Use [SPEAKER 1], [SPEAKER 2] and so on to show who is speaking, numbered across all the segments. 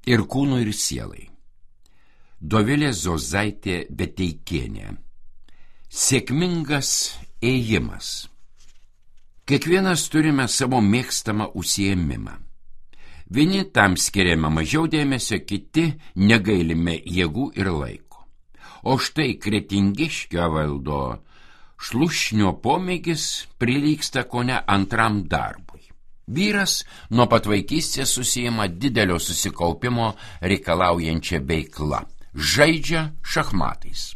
[SPEAKER 1] ir kūnui, ir sielai. Dovilė Zozaitė Beteikienė. Sėkmingas ėjimas. Kiekvienas turime savo mėgstamą užsiėmimą. Vieni tam skiriame mažiau dėmesio, kiti negailime jėgų ir laiko. O štai Kretingiškio Evaldo Šlušnio pomėgis prilygsta kone antram darbui. Vyras nuo pat vaikystės užsiima didelio susikaupimo reikalaujančia veikla. Žaidžia šachmatais.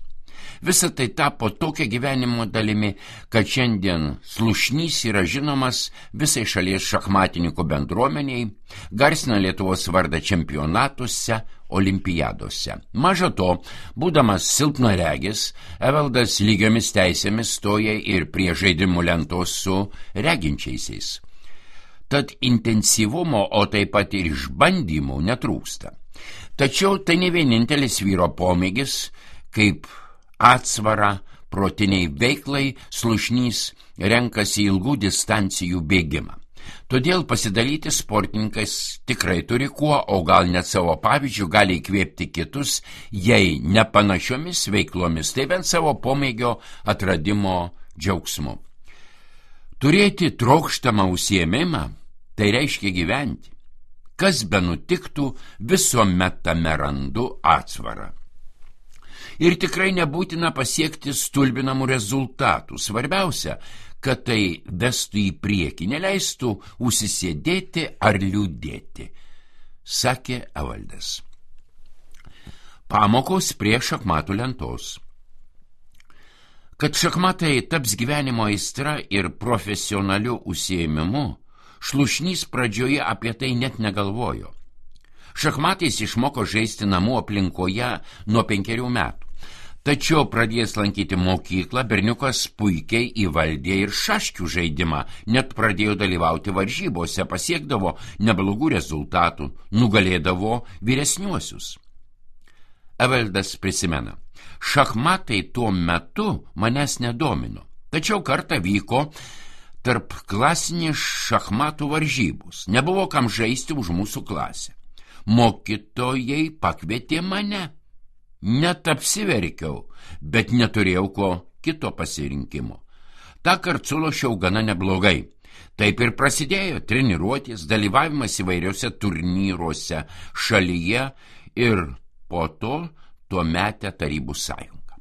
[SPEAKER 1] Visa tai tapo tokia gyvenimo dalimi, kad šiandien Slušnys yra žinomas visai šalies šachmatininkų bendruomeniai, garsina Lietuvos vardą čempionatuose, olimpiadose. Maža to, būdamas silpnaregis, Evaldas lygiomis teisėmis stoja ir prie žaidimų lentos su reginčiaisiais. Tad intensyvumo, o taip pat ir išbandymų netrūksta. Tačiau tai ne vienintelis vyro pomėgis, kaip atsvara protiniai veiklai Slušnys renkasi ilgų distancijų bėgimą. Todėl pasidalyti sportininkas tikrai turi kuo, o gal net savo pavyzdžių gali įkvėpti kitus, jei ne panašiomis veiklomis, tai bent savo pomėgio atradimo džiaugsmu. Turėti trokštamą užsiėmimą, tai reiškia gyventi. Kas be nutiktų, visuomet tame randu atsvarą. Ir tikrai nebūtina pasiekti stulbinamų rezultatų. Svarbiausia, kad tai vestų į priekį, neleistų užsisėdėti ar liūdėti, sakė Evaldas. Pamokos prie šachmatų lentos. Kad šachmatai taps gyvenimo aistra ir profesionaliu užsiėmimu, Šlušnys pradžioje apie tai net negalvojo. Šachmatais išmoko žaisti namų aplinkoje nuo 5 metų. Tačiau pradėjęs lankyti mokyklą, berniukas puikiai įvaldė ir šaškių žaidimą, net pradėjo dalyvauti varžybose, pasiekdavo neblogų rezultatų, nugalėdavo vyresniuosius. Evaldas prisimena, šachmatai tuo metu manęs nedomino, tačiau kartą vyko tarp klasinės šachmatų varžybos, nebuvo kam žaisti už mūsų klasę. Mokytojai pakvietė mane. Net apsiverkiau, bet neturėjau ko kito pasirinkimo. Tąkart sulošiau gana neblogai. Taip ir prasidėjo treniruotės, dalyvavimas įvairiuose turnyruose šalyje ir po to tuometę Tarybų sąjungą.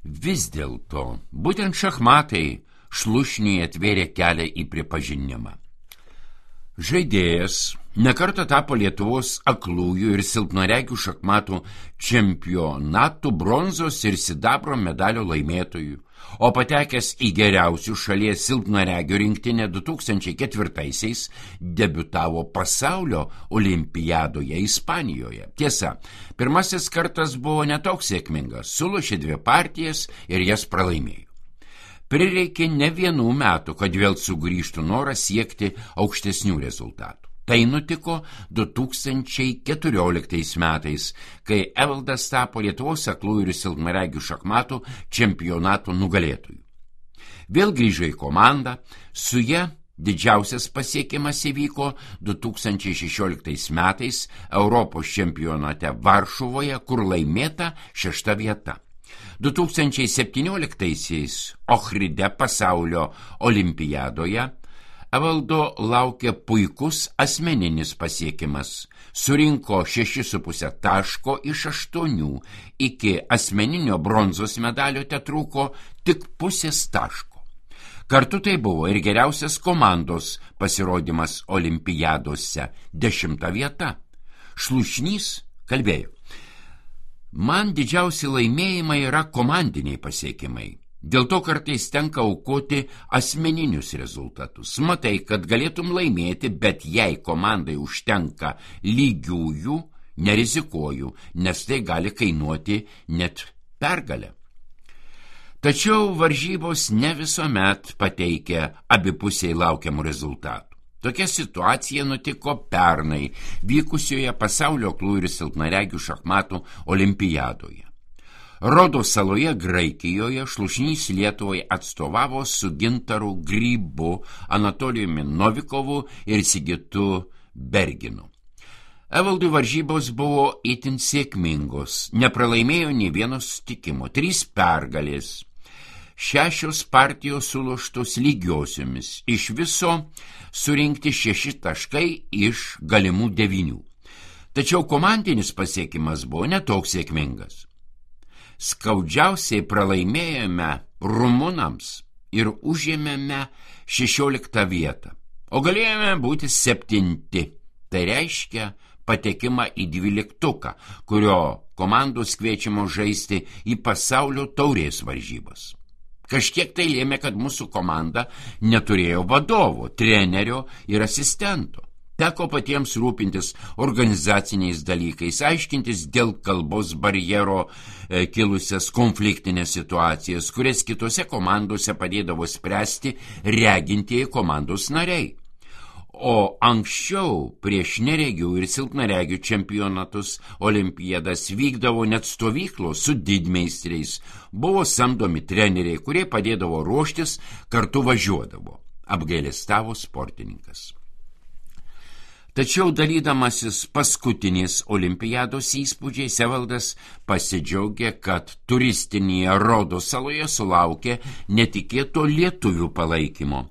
[SPEAKER 1] Vis dėlto, būtent šachmatai Šlušniui atvėrė kelią į pripažinimą. Žaidėjas nekartą tapo Lietuvos aklųjų ir silpnaregių šachmatų čempionatų bronzos ir sidabro medalio laimėtojų, o patekęs į geriausių šalies silpnaregių rinktinę 2004-aisiais debiutavo pasaulio olimpiadoje Ispanijoje. Tiesa, pirmasis kartas buvo netoks sėkmingas, sulošė 2 partijas ir jas pralaimėjo. Prireikė ne 1 metų, kad vėl sugrįžtų noras siekti aukštesnių rezultatų. Tai nutiko 2014 metais, kai Evaldas tapo Lietuvos aklųjų ir silpnaregių šachmatų čempionato nugalėtojų. Vėl grįžo į komandą, su ja didžiausias pasiekimas įvyko 2016 metais Europos čempionate Varšuvoje, kur laimėta 6. vieta. 2017-aisiais Ohride pasaulio olimpiadoje Evaldo laukia puikus asmeninis pasiekimas. Surinko 6,5 taško iš 8, iki asmeninio bronzos medalio tetrūko tik 0,5 taško. Kartu tai buvo ir geriausias komandos pasirodymas olimpiadose 10. vieta. Šlušnys kalbėjo. Man didžiausi laimėjimai yra komandiniai pasiekimai. Dėl to kartais tenka aukoti asmeninius rezultatus. Matai, kad galėtum laimėti, bet jei komandai užtenka lygiųjų, nerizikuoju, nes tai gali kainuoti net pergalę. Tačiau varžybos ne visuomet pateikia abipusiai laukiamų rezultatų. Tokia situacija nutiko pernai vykusioje pasaulio aklųjų ir silpnaregių šachmatų olimpiadoje. Rodos saloje Graikijoje Šlušnys Lietuvai atstovavo su Gintaru Grybu, Anatolijumi Novikovu ir Sigitu Berginu. Evaldui varžybos buvo itin sėkmingos, nepralaimėjo nė vieno susitikimo, 3 pergalės, 6 partijos suloštos lygiosiomis, iš viso surinkti 6 taškai iš galimų 9. Tačiau komandinis pasiekimas buvo netoks sėkmingas. Skaudžiausiai pralaimėjome rumunams ir užėmėme 16 vietą, o galėjome būti 7. Tai reiškia patekimą į 12, kurio komandos kviečiamos žaisti į pasaulio taurės varžybas. Kažkiek tai lėmė, kad mūsų komanda neturėjo vadovo, trenerio ir asistento. Teko patiems rūpintis organizaciniais dalykais, aiškintis dėl kalbos barjero kilusias konfliktinės situacijas, kurias kitose komandose padėdavo spręsti regintieji komandos nariai. O anksčiau prieš neregių ir silpnaregių čempionatus, olimpiadas vykdavo net stovyklos su didmeistriais, buvo samdomi treneriai, kurie padėdavo ruoštis, kartu važiuodavo, apgailestavo sportininkas. Tačiau dalydamasis paskutinės olimpiados įspūdžiais, Evaldas pasidžiaugė, kad turistinėje Rodos saloje sulaukė netikėto lietuvių palaikymo.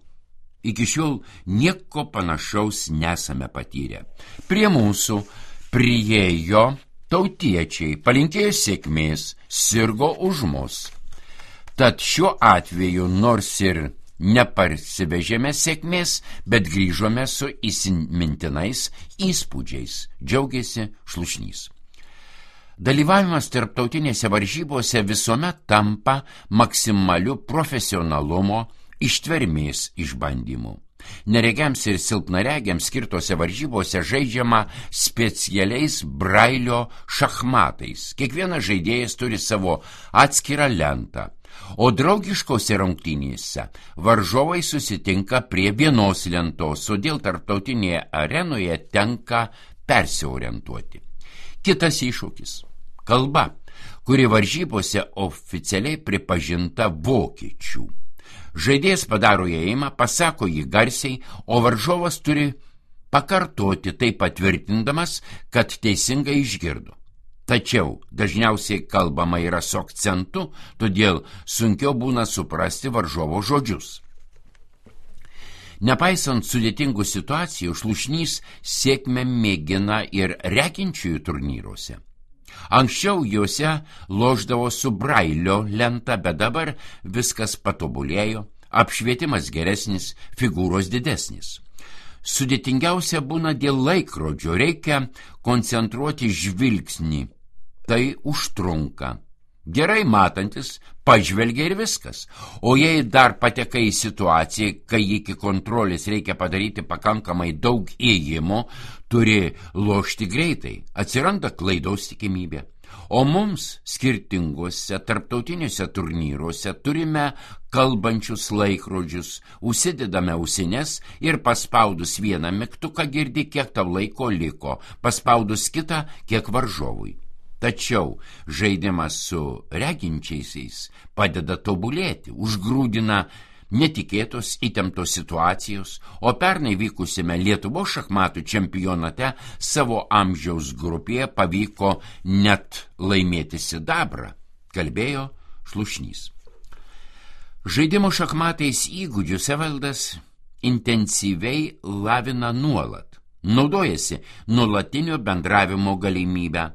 [SPEAKER 1] Iki šiol nieko panašaus nesame patyrę. Prie mūsų priėjo tautiečiai, palinkėjo sėkmės, sirgo už mus. Tad šiuo atveju nors ir neparsivežėme sėkmės, bet grįžome su įsimintinais įspūdžiais, džiaugiasi Šlušnys. Dalyvavimas tarptautinėse varžybose visuomet tampa maksimaliu profesionalumo ištvermės išbandymų. Neregiams ir silpnaregiams skirtose varžybose žaidžiama specialiais brailio šachmatais. Kiekvienas žaidėjas turi savo atskirą lentą, o draugiškose rungtynėse varžovai susitinka prie vienos lentos, todėl tarptautinėje arenoje tenka persiorientuoti. Kitas iššūkis – kalba, kuri varžybose oficialiai pripažinta vokiečių. Žaidėjas padaro ėjimą, pasako jį garsiai, o varžovas turi pakartoti tai patvirtindamas, kad teisingai išgirdo. Tačiau dažniausiai kalbama yra su akcentu, todėl sunkiau būna suprasti varžovo žodžius. Nepaisant sudėtingų situacijų, Šlušnys sėkmę mėgina ir reginčiųjų turnyruose. Anksčiau juose lošdavo su brailio lenta, bet dabar viskas patobulėjo, apšvietimas geresnis, figūros didesnis. Sudėtingiausia būna dėl laikrodžio, reikia koncentruoti žvilgsnį, tai užtrunka. Gerai matantis, pažvelgia ir viskas, o jei dar patekai į situaciją, kai iki kontrolės reikia padaryti pakankamai daug ėjimo, turi lošti greitai, atsiranda klaidos tikimybė. O mums skirtinguose tarptautiniuose turnyruose turime kalbančius laikrodžius, užsidedame ausines ir paspaudus vieną mygtuką girdi, kiek tau laiko liko, paspaudus kitą, kiek varžovui. Tačiau žaidimas su reginčiaisiais padeda tobulėti, užgrūdina netikėtos įtemptos situacijos, o pernai vykusime Lietuvos šachmatų čempionate savo amžiaus grupėje pavyko net laimėti sidabrą, kalbėjo Šlušnys. Žaidimo šachmatais įgūdžius Evaldas intensyviai lavina nuolat, naudojasi nuolatinio bendravimo galimybę.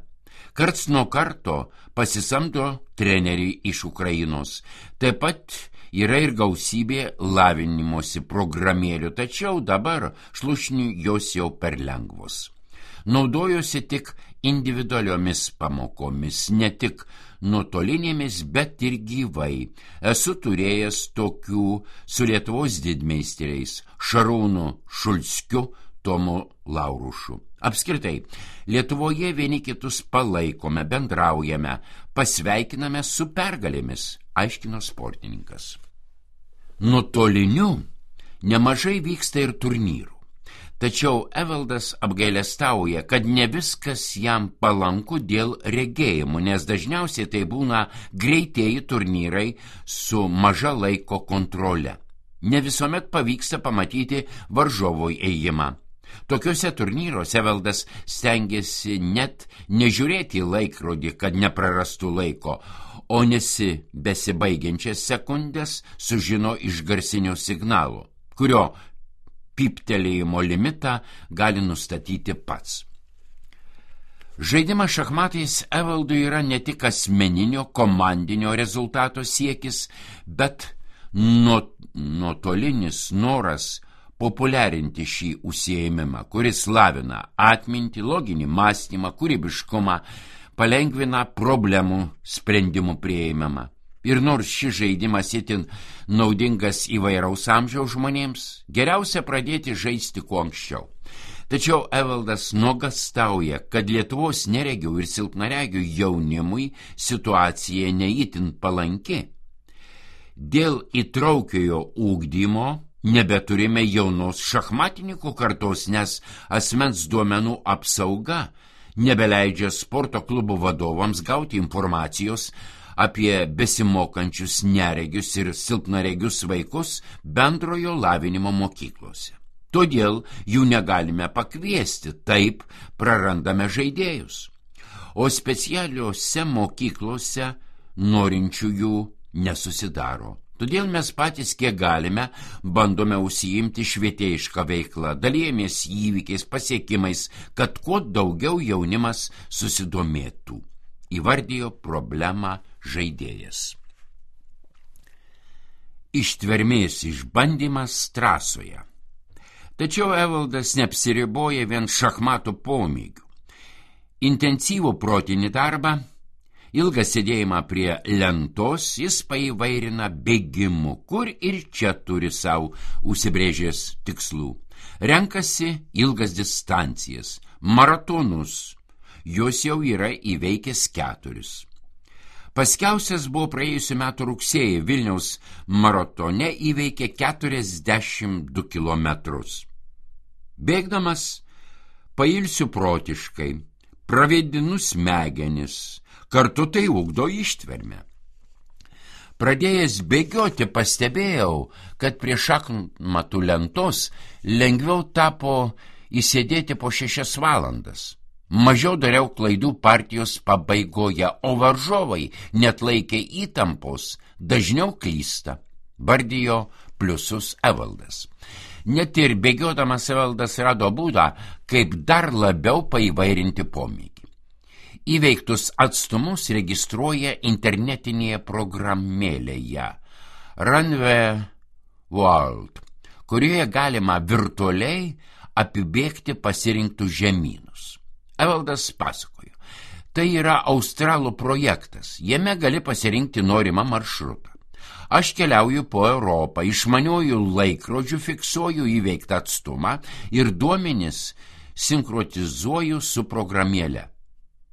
[SPEAKER 1] Karts nuo karto pasisamdo trenerį iš Ukrainos. Taip pat yra ir gausybė lavinimosi programėlių, tačiau dabar Šlušniui jos jau per lengvos. Naudojosi tik individualiomis pamokomis, ne tik nuotolinėmis, bet ir gyvai. Esu turėjęs tokių su Lietuvos didmeistriais Šarūnu Šulskiu, Tomu Laurušu. Apskritai, Lietuvoje vieni kitus palaikome, bendraujame, pasveikiname su pergalėmis, aiškino sportininkas. Nuotoliniu nemažai vyksta ir turnyrų. Tačiau Evaldas apgailestauja, kad ne viskas jam palanku dėl regėjimų, nes dažniausiai tai būna greitieji turnyrai su maža laiko kontrole. Ne visuomet pavyksta pamatyti varžovo ėjimą. Tokiuose turnyruose Evaldas stengiasi net nežiūrėti į laikrodį, kad neprarastų laiko, o besibaigiančias sekundės sužino iš garsinio signalo, kurio pyptelėjimo limitą gali nustatyti pats. Žaidimas šachmatais Evaldui yra ne tik asmeninio komandinio rezultato siekis, bet nuotolinis noras populiarinti šį užsiėmimą, kuris lavina atmintį, loginį mąstymą, kūrybiškumą, palengvina problemų sprendimų priėmimą. Ir nors šis žaidimas itin naudingas įvairaus amžiaus žmonėms, geriausia pradėti žaisti kuo anksčiau. Tačiau Evaldas nuogąstauja, kad Lietuvos neregių ir silpnaregių jaunimui situacija neįtin palanki. Dėl įtraukiojo ugdymo nebeturime jaunos šachmatininkų kartos, nes asmens duomenų apsauga nebeleidžia sporto klubų vadovams gauti informacijos apie besimokančius neregius ir silpnaregius vaikus bendrojo lavinimo mokyklose. Todėl jų negalime pakviesti, taip prarandame žaidėjus. O specialiuose mokyklose norinčiųjų nesusidaro. Todėl mes patys, kiek galime, bandome užsiimti švietėjišką veiklą, dalijamės įvykiais, pasiekimais, kad kuo daugiau jaunimas susidomėtų, įvardijo problemą žaidėjas. Ištvermės išbandymas trasoje. Tačiau Evaldas neapsiriboja vien šachmatų pomėgių. Intensyvų protinį darbą, ilgą sėdėjimą prie lentos jis paįvairina bėgimu, kur ir čia turi savo užsibrėžęs tikslų. Renkasi ilgas distancijas, maratonus, jos jau yra įveikęs 4. Paskiausias buvo praėjusiu metu rugsėjį, Vilniaus maratone įveikė 42 kilometrus. Bėgdamas pailsiu protiškai, pravedinu smegenis, kartu tai ugdo ištvermę. Pradėjęs bėgioti pastebėjau, kad prie šachmatų lentos lengviau tapo įsėdėti po 6 valandas. Mažiau dariau klaidų partijos pabaigoje, o varžovai net laikė įtampos, dažniau klysta, vardijo pliusus Evaldas. Net ir bėgiodamas Evaldas rado būdą, kaip dar labiau paįvairinti pomėgį. Įveiktus atstumus registruoja internetinėje programėlėje Runway World, kurioje galima virtualiai apibėgti pasirinktus žemynus. Evaldas pasakojo, tai yra australų projektas, jame gali pasirinkti norimą maršrutą. Aš keliauju po Europą, išmaniuoju laikrodžiu fiksuoju įveiktą atstumą ir duomenis sinkronizuoju su programėle.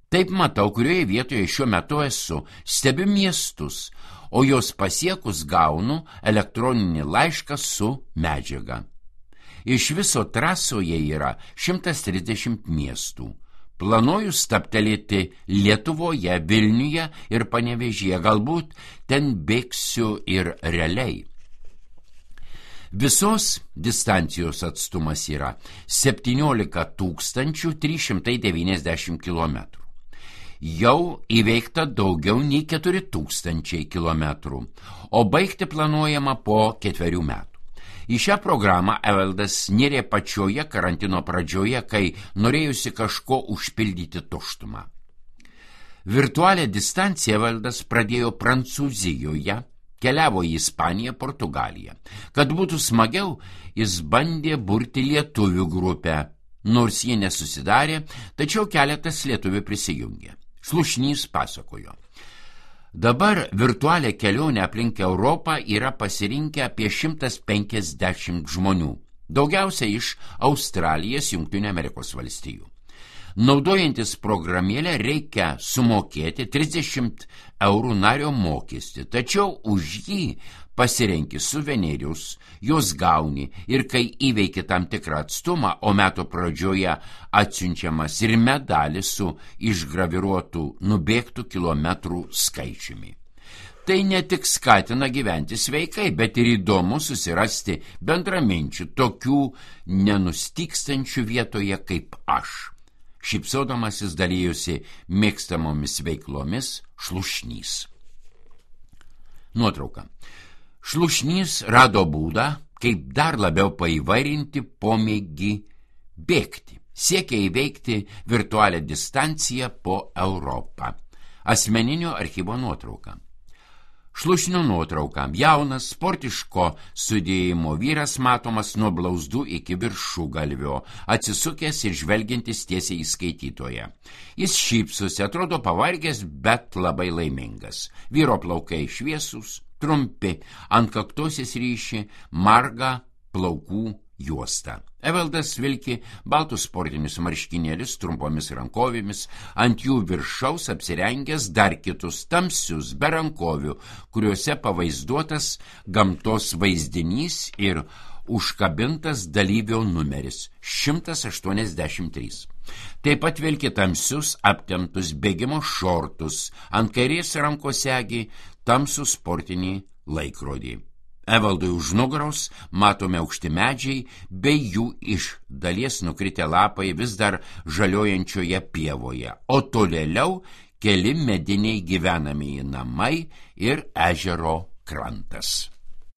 [SPEAKER 1] Taip matau, kurioje vietoje šiuo metu esu, stebiu miestus, o jos pasiekus gaunu elektroninį laišką su medžiaga. Iš viso trasoje yra 130 miestų. Planuoju stabtelėti Lietuvoje, Vilniuje ir Panevėžyje, galbūt ten bėgsiu ir realiai. Visos distancijos atstumas yra 17 390 km. Jau įveikta daugiau nei 4000 km, o baigti planuojama po 4 metų. Į šią programą Evaldas nėrė pačioje karantino pradžioje, kai norėjusi kažko užpildyti tuštumą. Virtualią distanciją Evaldas pradėjo Prancūzijoje, keliavo į Ispaniją, Portugaliją. Kad būtų smagiau, jis bandė burti lietuvių grupę, nors jie nesusidarė, tačiau keletas lietuvių prisijungė. Slušnys pasakojo. Dabar virtualią kelionę aplink Europą yra pasirinkę apie 150 žmonių, daugiausia iš Australijos, Jungtinių Amerikos valstijų. Naudojantis programėlę reikia sumokėti 30 eurų nario mokestį, tačiau už jį pasirenki suvenerius, juos gauni ir kai įveiki tam tikrą atstumą, o metų pradžioje atsiunčiamas ir medalis su išgraviruotų nubėgtų kilometrų skaičiumi. Tai ne tik skatina gyventi sveikai, bet ir įdomu susirasti bendraminčių, tokių nenustykstančių vietoje kaip aš. Šypsodamasis dalyjosi mėgstamomis veiklomis Šlušnys. Nuotrauka. Šlušnys rado būdą, kaip dar labiau paįvairinti pomėgį bėgti. Siekia įveikti virtualią distanciją po Europą. Asmeninio archyvo nuotrauka. Šlušnio nuotrauka. Jaunas, sportiško sudėjimo vyras matomas nuo blauzdų iki viršugalvio, atsisukęs ir žvelgiantis tiesiai į skaitytoją. Jis šypsosi, atrodo pavargęs, bet labai laimingas. Vyro plaukai šviesūs, trumpi, ant kaktosės ryši marga plaukų juosta. Evaldas vilki baltus sportinius marškinėlius trumpomis rankovėmis, ant jų viršaus apsirengęs dar kitus tamsius be rankovių, kuriuose pavaizduotas gamtos vaizdinys ir užkabintas dalyvio numeris 183. Taip pat vilki tamsius aptemptus bėgimo šortus, ant kairės rankos segi tamsų sportinį laikrodį. Evaldui už nugaros matome aukšti medžiai, bei jų iš dalies nukritę lapai vis dar žaliojančioje pievoje, o tolėliau keli mediniai gyvenamieji namai ir ežero krantas.